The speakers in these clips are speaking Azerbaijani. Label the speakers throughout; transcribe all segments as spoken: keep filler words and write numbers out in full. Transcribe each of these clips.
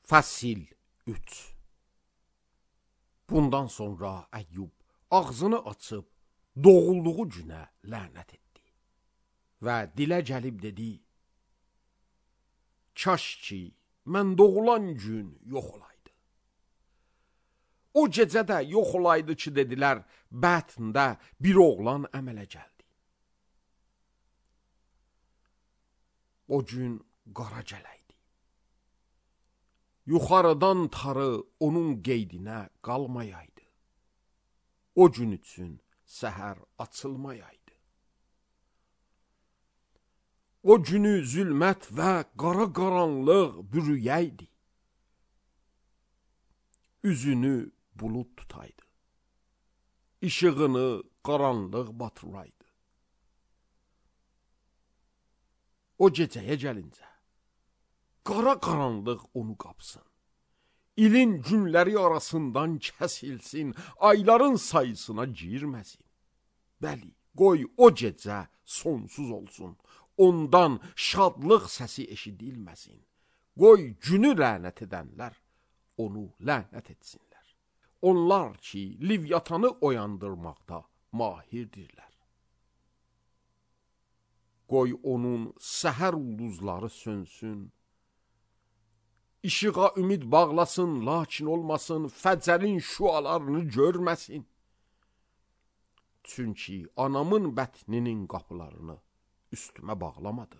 Speaker 1: Fəsil üç. Bundan sonra Əyyub ağzını açıb doğulduğu günə lənət etdi və dilə gəlib dedi: Kaş ki, mən doğulan gün yox olaydı. O gecə də yox olaydı ki, dedilər, bətndə bir oğlan əmələ gəldi. O gün qara gələydi. Yuxarıdan tarı onun qeydinə qalmayaydı. O gün üçün səhər açılmayaydı. O günü zülmət və qara qaranlıq bürüyəydi. Üzünü bulud tutaydı. İşığını qaranlıq batıraydı. O gecəyə gəlincə, qara qaranlıq onu qapsın. İlin günləri arasından kəsilsin, ayların sayısına girməsin. Bəli, qoy o gecə sonsuz olsun, ondan şadlıq səsi eşidilməsin. Qoy günü lənət edənlər onu lənət etsinlər. Onlar ki, Livyatanı oyandırmaqda mahirdirlər. Qoy onun səhər ulduzları sönsün. İşığa ümid bağlasın, lakin olmasın, fəcərin şüalarını görməsin. Çünki anamın bətninin qapılarını üstümə bağlamadı.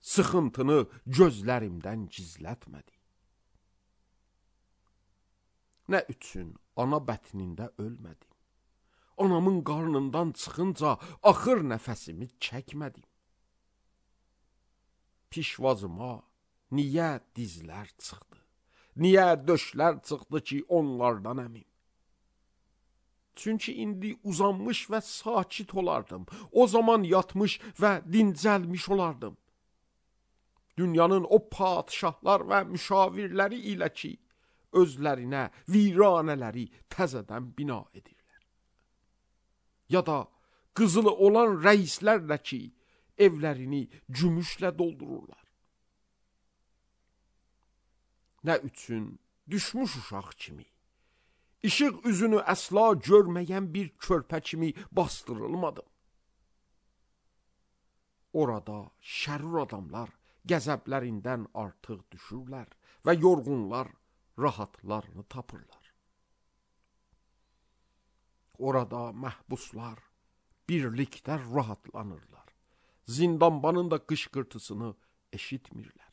Speaker 1: Sıxıntını gözlərimdən gizlətmədi. Nə üçün ana bətnində ölmədim? Anamın qarnından çıxınca axır nəfəsimi çəkmədim. Pişvazıma niyə dizlər çıxdı? Niyə döşlər çıxdı ki, onlardan əmim? Çünki indi uzanmış və sakit olardım. O zaman yatmış və dincəlmiş olardım. Dünyanın o padişahlar və müşavirləri ilə ki, özlərinə viranələri təzədən bina edirlər. Ya da qızılı olan rəislərlə ki, evlərini gümüşlə doldururlar. Nə üçün düşmüş uşaq kimi, işıq üzünü əsla görməyən bir körpə kimi bastırılmadım. Orada şərur adamlar qəzəblərindən artıq düşürlər və yorğunlar rahatlarını tapırlar. Orada məhbuslar birlikdə rahatlanırlar. Zindanbanın da qışqırtısını eşitmirlər.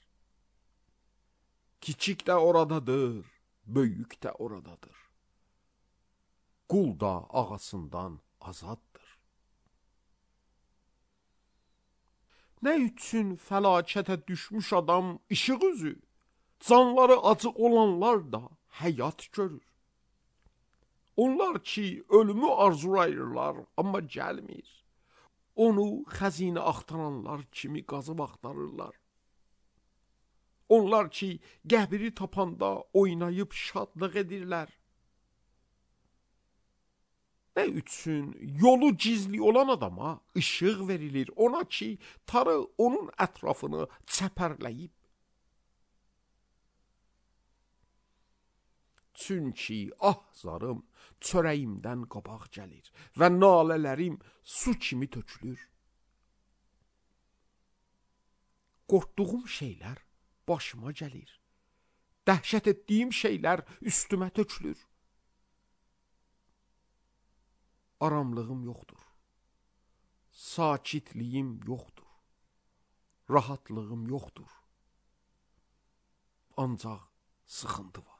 Speaker 1: Kiçik də oradadır, böyük də oradadır. Qul da ağasından azaddır. Nə üçün fəlakətə düşmüş adam işıq üzü, canları acı olanlar da həyat görür. Onlar ki, ölümü arzulayırlar, amma gəlmir. Onu xəzinə axtaranlar kimi qazıb axtarırlar. Onlar ki, qəbri tapanda oynayıb şadlıq edirlər. Nə üçün yolu gizli olan adama işıq verilir, ona ki, tarı onun ətrafını çəpərləyib. Çünki ah zarım çörəyimdən qabaq gəlir və nalələrim su kimi tökülür. Qorxduğum şeylər başıma gəlir. Dəhşət etdiyim şeylər üstümə tökülür. Aramlığım yoxdur. Sakitliyim yoxdur. Rahatlığım yoxdur. Ancaq sıxıntı var.